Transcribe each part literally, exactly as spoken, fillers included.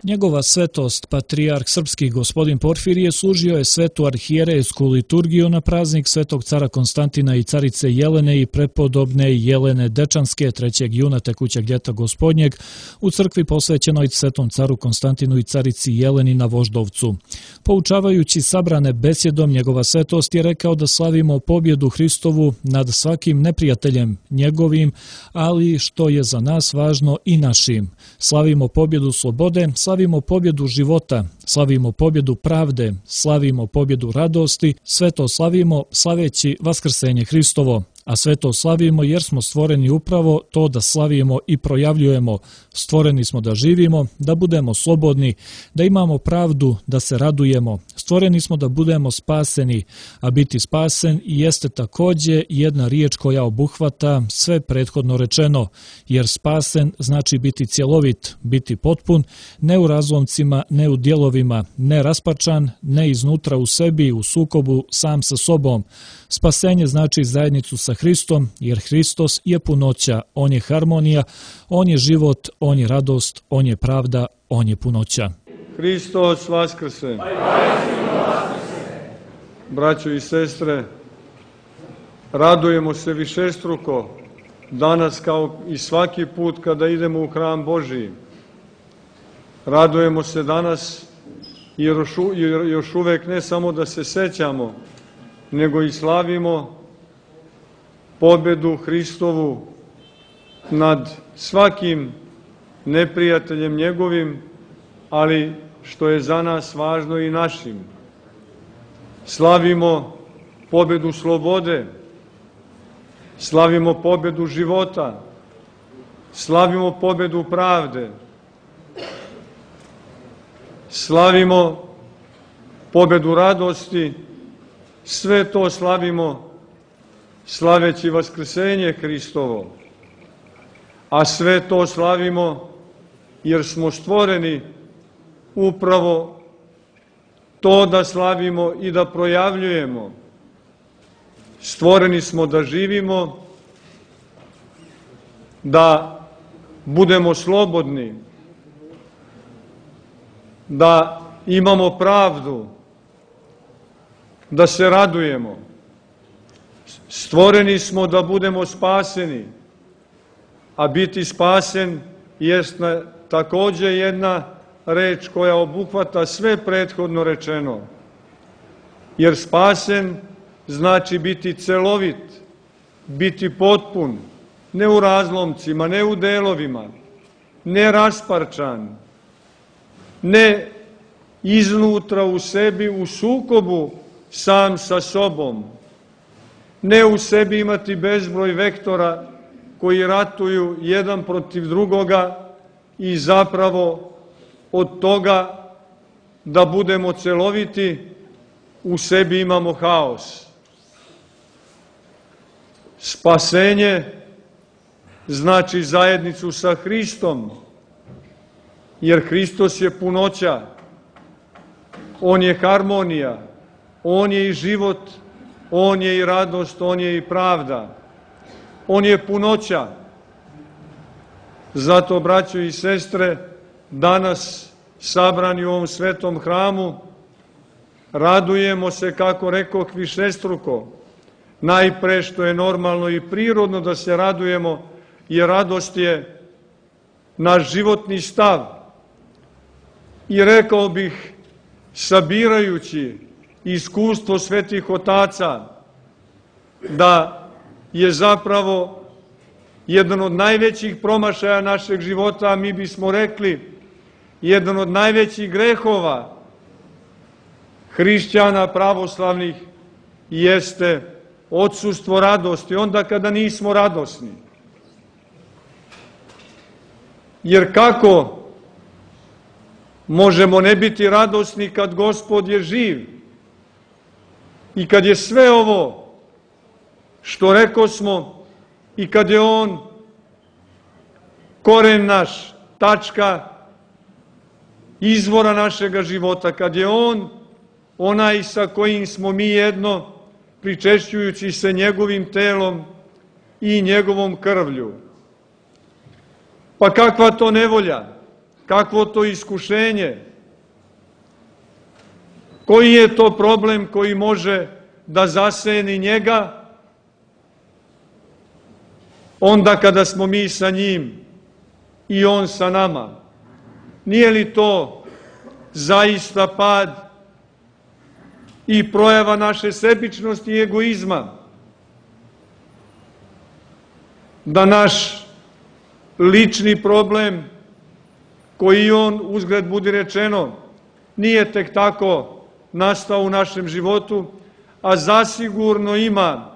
Njegova svetost, patrijarh srpski gospodin Porfirije, služio je svetu arhijerejsku liturgiju na praznik svetog cara Konstantina i carice Jelene i prepodobne Jelene Dečanske trećeg juna tekućeg ljeta gospodnjeg u crkvi posvećenoj svetom caru Konstantinu i carici Jeleni na Voždovcu. Poučavajući sabrane besjedom, njegova svetost je rekao da slavimo pobjedu Hristovu nad svakim neprijateljem njegovim, ali što je za nas važno i našim. Slavimo pobjedu slobode, slavimo pobjedu života, slavimo pobjedu pravde, slavimo pobjedu radosti, sve to slavimo slaveći Vaskrsenje Hristovo, a sve to slavimo jer smo stvoreni upravo to da slavimo i projavljujemo. Stvoreni smo da živimo, da budemo slobodni, da imamo pravdu, da se radujemo. Stvoreni smo da budemo spaseni, a biti spasen jeste takođe jedna riječ koja obuhvata sve prethodno rečeno, jer spasen znači biti cjelovit, biti potpun, ne u razlomcima, ne u dijelovima, ne raspačan, ne iznutra u sebi, u sukobu sam sa sobom. Spasenje znači zajednicu sa Hristom, jer Hristos je punoća, On je harmonija, On je život, On je radost, On je pravda, On je punoća. Hristos vaskrse! Braćo i sestre, radujemo se višestruko danas kao i svaki put kada idemo u hram Božiji. Radujemo se danas jer još uvek ne samo da se sećamo, nego i slavimo pobjedu Hristovu nad svakim neprijateljem njegovim, ali što je za nas važno i našim. Slavimo pobjedu slobode, slavimo pobjedu života, slavimo pobjedu pravde, slavimo pobjedu radosti, sve to slavimo slaveći Vaskrsenje Hristovo, a sve to slavimo jer smo stvoreni upravo to da slavimo i da projavljujemo. Stvoreni smo da živimo, da budemo slobodni, da imamo pravdu, da se radujemo. Stvoreni smo da budemo spaseni, a biti spasen jest takođe jedna reč koja obuhvata sve prethodno rečeno. Jer spasen znači biti celovit, biti potpun, ne u razlomcima, ne u delovima, ne rasparčan, ne iznutra u sebi u sukobu sam sa sobom, ne u sebi imati bezbroj vektora koji ratuju jedan protiv drugoga i zapravo od toga da budemo celoviti u sebi imamo haos. Spasenje znači zajednicu sa Hristom, jer Hristos je punoća, On je harmonija, On je i život, On je i radost, On je i pravda, On je punoća. Zato, braćo i sestre, danas sabrani u ovom svetom hramu, radujemo se, kako rekoh, višestruko. Najpre što je normalno i prirodno da se radujemo, jer radost je naš životni stav. I rekao bih, sabirajući iskustvo svetih otaca, da je zapravo jedan od najvećih promašaja našeg života, a mi bismo rekli, jedan od najvećih grehova hrišćana pravoslavnih jeste odsustvo radosti, onda kada nismo radosni. Jer kako možemo ne biti radosni kad Gospod je živ i kad je sve ovo što rekosmo i kad je On koren naš, tačka izvora našega života, kad je On onaj sa kojim smo mi jedno, pričešćujući se njegovim telom i njegovom krvlju. Pa kakva to nevolja, kakvo to iskušenje, koji je to problem koji može da zaseni njega onda kada smo mi sa njim i on sa nama. Nije li to zaista pad i projava naše sebičnosti i egoizma? Da naš lični problem, koji on, uzgred budi rečeno, nije tek tako nastao u našem životu, a zasigurno ima,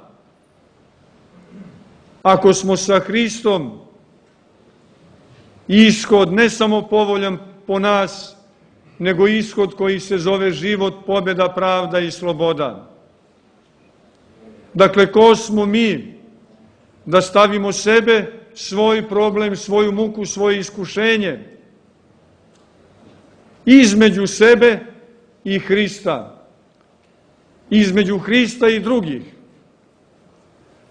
ako smo sa Hristom, ishod ne samo povoljan po nas, nego ishod koji se zove život, pobjeda, pravda i sloboda. Dakle, ko smo mi da stavimo sebe, svoj problem, svoju muku, svoje iskušenje između sebe i Hrista, između Hrista i drugih.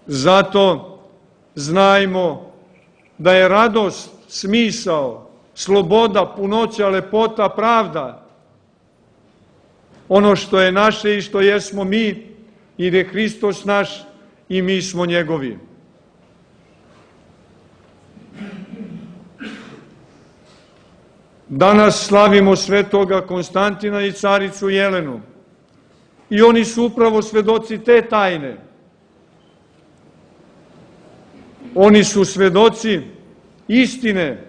Zato znajmo da je radost, smisao, sloboda, punoća, lepota, pravda ono što je naše i što jesmo mi, jer je Hristos naš i mi smo njegovi. Danas slavimo svetoga Konstantina i caricu Jelenu i oni su upravo svedoci te tajne. Oni su svedoci istine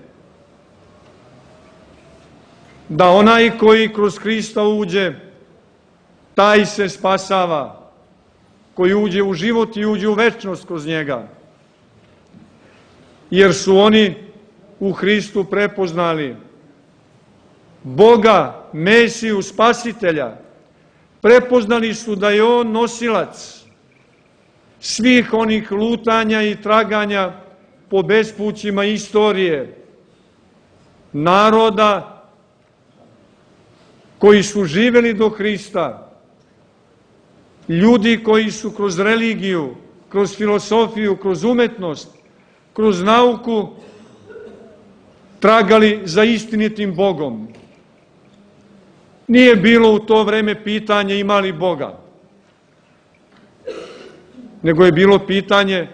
da onaj koji kroz Hrista uđe, taj se spasava, koji uđe u život i uđe u večnost kroz njega. Jer su oni u Hristu prepoznali Boga, Mesiju, Spasitelja. Prepoznali su da je on nosilac svih onih lutanja i traganja po bespućima istorije, naroda koji su živeli do Hrista, ljudi koji su kroz religiju, kroz filosofiju, kroz umetnost, kroz nauku tragali za istinitim Bogom. Nije bilo u to vreme pitanje ima li Boga, nego je bilo pitanje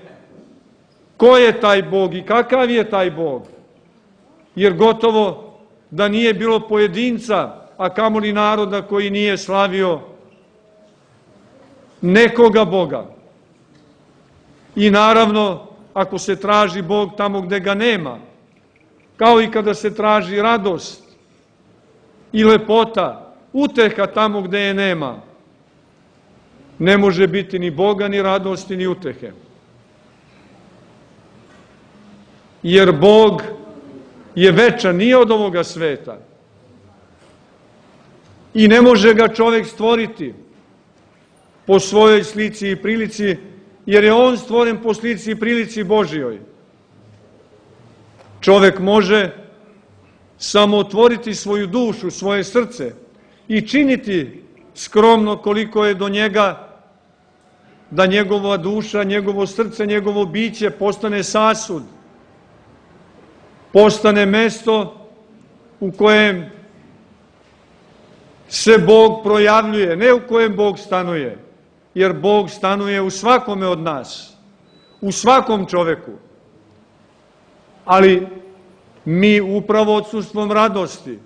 ko je taj Bog i kakav je taj Bog. Jer gotovo da nije bilo pojedinca, a kamoli naroda koji nije slavio nekoga Boga. I naravno, ako se traži Bog tamo gde ga nema, kao i kada se traži radost i lepota, uteha tamo gde je nema, ne može biti ni Boga, ni radosti, ni utehe. Jer Bog je večan, nije od ovoga sveta. I ne može ga čovjek stvoriti po svojoj slici i prilici, jer je on stvoren po slici i prilici Božijoj. Čovjek može samo otvoriti svoju dušu, svoje srce i činiti skromno koliko je do njega, da njegova duša, njegovo srce, njegovo biće postane sasud, postane mesto u kojem se Bog projavljuje, ne u kojem Bog stanuje, jer Bog stanuje u svakome od nas, u svakom čoveku. Ali mi upravo odsustvom radosti,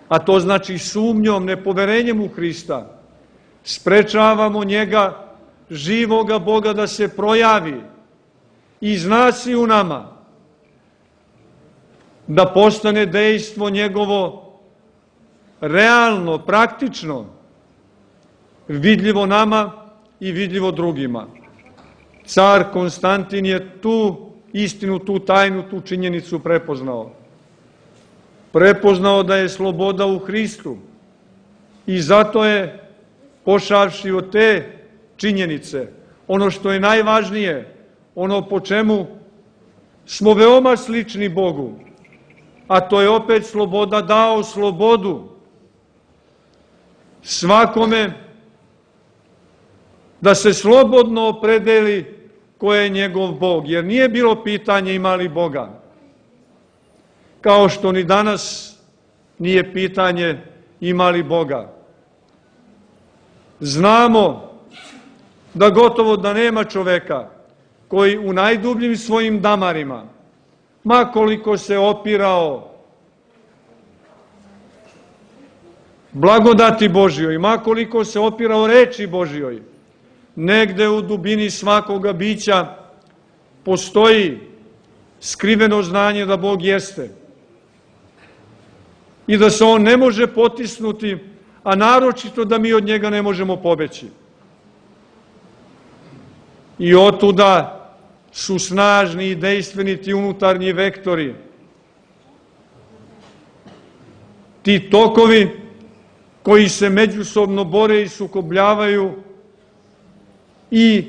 a to znači sumnjom, nepoverenjem u Hrista, sprečavamo njega, živoga Boga, da se projavi iz nas i u nama, da postane dejstvo njegovo realno, praktično, vidljivo nama i vidljivo drugima. Car Konstantin je tu istinu, tu tajnu, tu činjenicu prepoznao. Prepoznao da je sloboda u Hristu i zato je, pošavši od te činjenice, ono što je najvažnije, ono po čemu smo veoma slični Bogu, a to je opet sloboda, dao slobodu svakome da se slobodno opredeli ko je njegov Bog, jer nije bilo pitanje ima li Boga. kao što ni danas nije pitanje ima li Boga. Znamo da gotovo da nema čoveka koji u najdubljim svojim damarima, ma koliko se opirao blagodati Božjoj, ma koliko se opirao reči Božjoj, negde u dubini svakoga bića postoji skriveno znanje da Bog jeste i da se On ne može potisnuti, a naročito da mi od njega ne možemo pobeći. I otuda su snažni i dejstveni ti unutarnji vektori, ti tokovi koji se međusobno bore i sukobljavaju i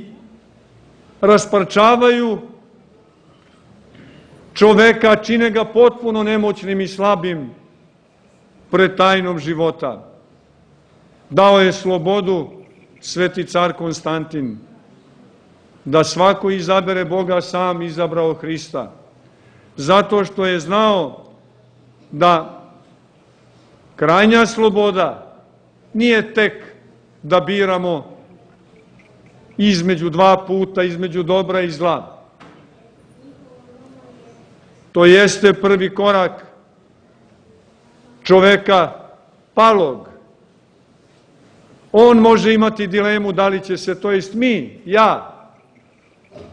rasparčavaju čoveka, čine ga potpuno nemoćnim i slabim pred tajnom života. Dao je slobodu sveti car Konstantin, da svako izabere Boga, sam izabrao Hrista, zato što je znao da krajnja sloboda nije tek da biramo između dva puta, između dobra i zla. To jeste prvi korak čoveka palog. On može imati dilemu da li će se, to jest mi, ja,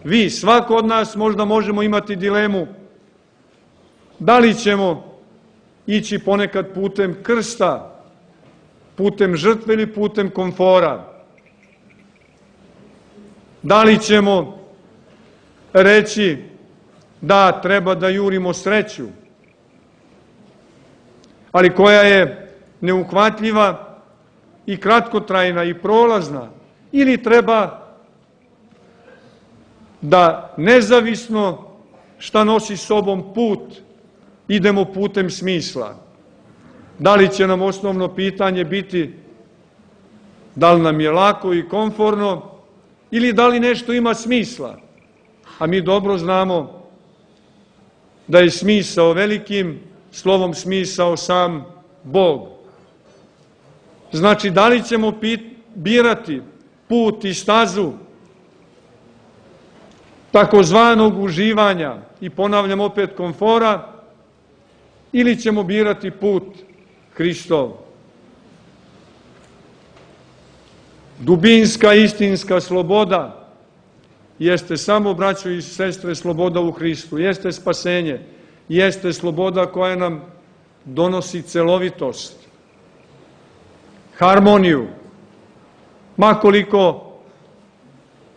vi, svako od nas možda možemo imati dilemu da li ćemo ići ponekad putem krsta, putem žrtve ili putem komfora. Da li ćemo reći da treba da jurimo sreću, ali koja je neuhvatljiva i kratkotrajna i prolazna, ili treba da nezavisno šta nosi sobom put, idemo putem smisla. Da li će nam osnovno pitanje biti da li nam je lako i komforno ili da li nešto ima smisla? A mi dobro znamo da je smisao velikim slovom smisao sam Bog. Znači, da li ćemo birati put i stazu takozvanog uživanja i, ponavljam opet, komfora, ili ćemo birati put Hristov. Dubinska, istinska sloboda jeste samo, braćo i sestre, sloboda u Hristu, jeste spasenje, jeste sloboda koja nam donosi celovitost, harmoniju, makoliko,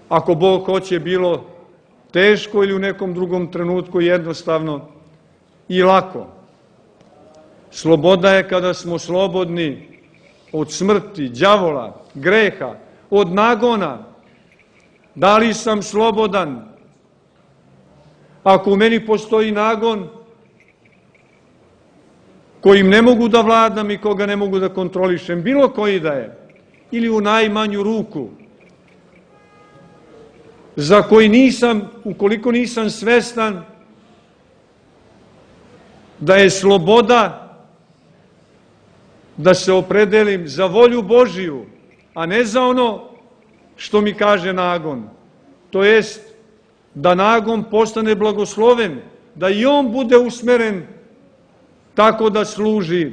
ako Bog hoće, bilo teško ili u nekom drugom trenutku jednostavno i lako. Sloboda je kada smo slobodni od smrti, đavola, greha, od nagona. Da li sam slobodan? Ako u meni postoji nagon kojim ne mogu da vladam i koga ne mogu da kontrolišem, bilo koji da je, ili u najmanju ruku, za koji nisam, ukoliko nisam svestan da je sloboda da se opredelim za volju Božiju, a ne za ono što mi kaže nagon. To jest da nagon postane blagosloven, da i on bude usmeren tako da služi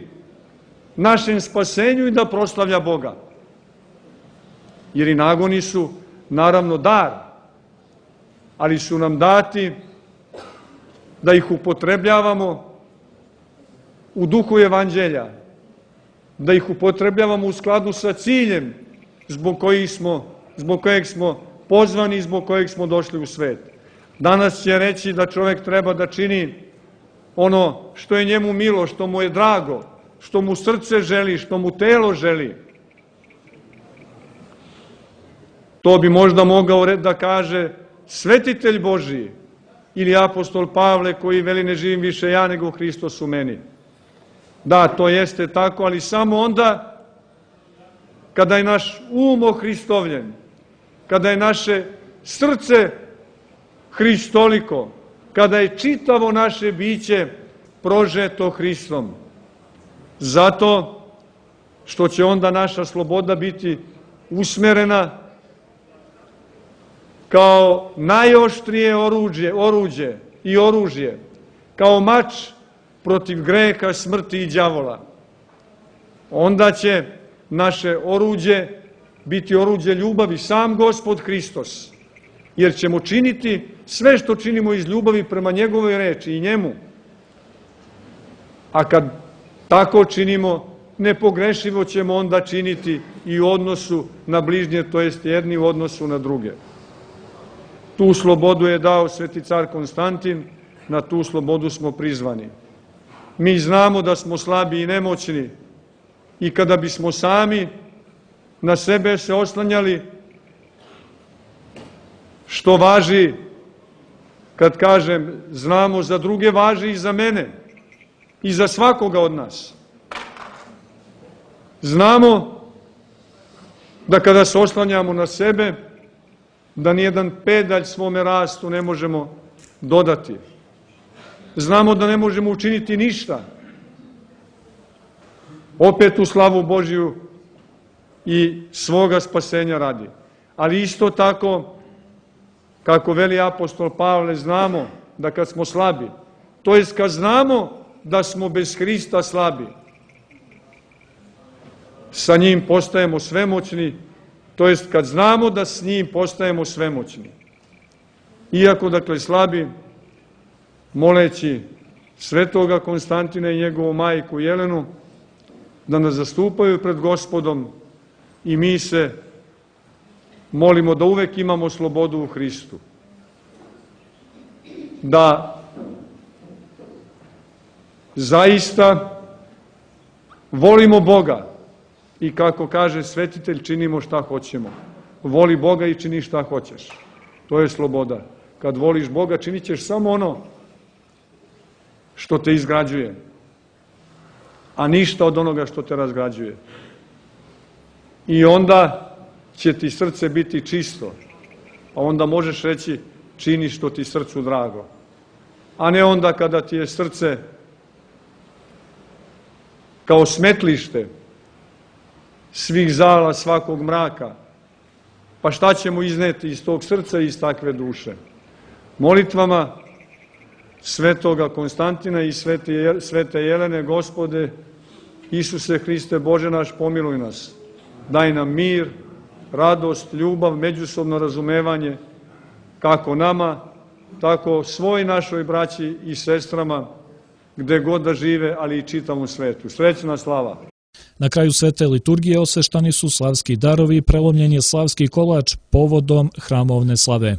našem spasenju i da proslavlja Boga. Jer i nagoni su naravno dar, ali su nam dati da ih upotrebljavamo u duhu evanđelja, da ih upotrebljavamo u skladu sa ciljem zbog kojeg smo, zbog kojeg smo pozvani i zbog kojeg smo došli u svet. Danas će reći da čovjek treba da čini ono što je njemu milo, što mu je drago, što mu srce želi, što mu telo želi. To bi možda mogao da kaže svetitelj Božiji ili apostol Pavle koji veli ne živim više ja nego Hristos u meni. Da, to jeste tako, ali samo onda kada je naš um ohristovljen, kada je naše srce hristoliko, kada je čitavo naše biće prožeto Hristom. Zato što će onda naša sloboda biti usmerena kao najoštrije oruđe, oruđe i oružje, kao mač protiv greha, smrti i đavola. Onda će naše oruđe biti oruđe ljubavi, sam Gospod Hristos, jer ćemo činiti sve što činimo iz ljubavi prema njegovoj reči i njemu. A kad tako činimo, nepogrešivo ćemo onda činiti i u odnosu na bližnje, to jest jedni u odnosu na druge. Tu slobodu je dao sveti car Konstantin, na tu slobodu smo prizvani. Mi znamo da smo slabi i nemoćni i kada bismo sami na sebe se oslanjali, što važi, kad kažem znamo za druge, važi i za mene i za svakoga od nas. Znamo da kada se oslanjamo na sebe, da nijedan pedalj svome rastu ne možemo dodati. Znamo da ne možemo učiniti ništa. Opet u slavu Božiju i svoga spasenja radi. Ali isto tako, kako veli apostol Pavle, znamo da kad smo slabi, to jest kad znamo da smo bez Hrista slabi, sa njim postajemo svemoćni, to jest kad znamo da s njim postajemo svemoćni. Iako, dakle, slabi, moleći svetoga Konstantina i njegovu majku Jelenu da nas zastupaju pred Gospodom, i mi se molimo da uvek imamo slobodu u Hristu. Da zaista volimo Boga i, kako kaže svetitelj, činimo šta hoćemo. Voli Boga i čini šta hoćeš. To je sloboda. Kad voliš Boga, činit ćeš samo ono što te izgrađuje, a ništa od onoga što te razgrađuje. I onda će ti srce biti čisto, a onda možeš reći čini što ti srcu drago. A ne onda kada ti je srce kao smetlište svih zala, svakog mraka. Pa šta ćemo izneti iz tog srca i iz takve duše? Molitvama svetoga Konstantina i svete, svete Jelene, Gospode, Isuse Hriste, Bože naš, pomiluj nas. Daj nam mir, radost, ljubav, međusobno razumevanje, kako nama, tako svoj našoj braći i sestrama, gde god da žive, ali i čitavom svetu. Srećna slava! Na kraju svete liturgije osveštani su slavski darovi i prelomljen je slavski kolač povodom hramovne slave.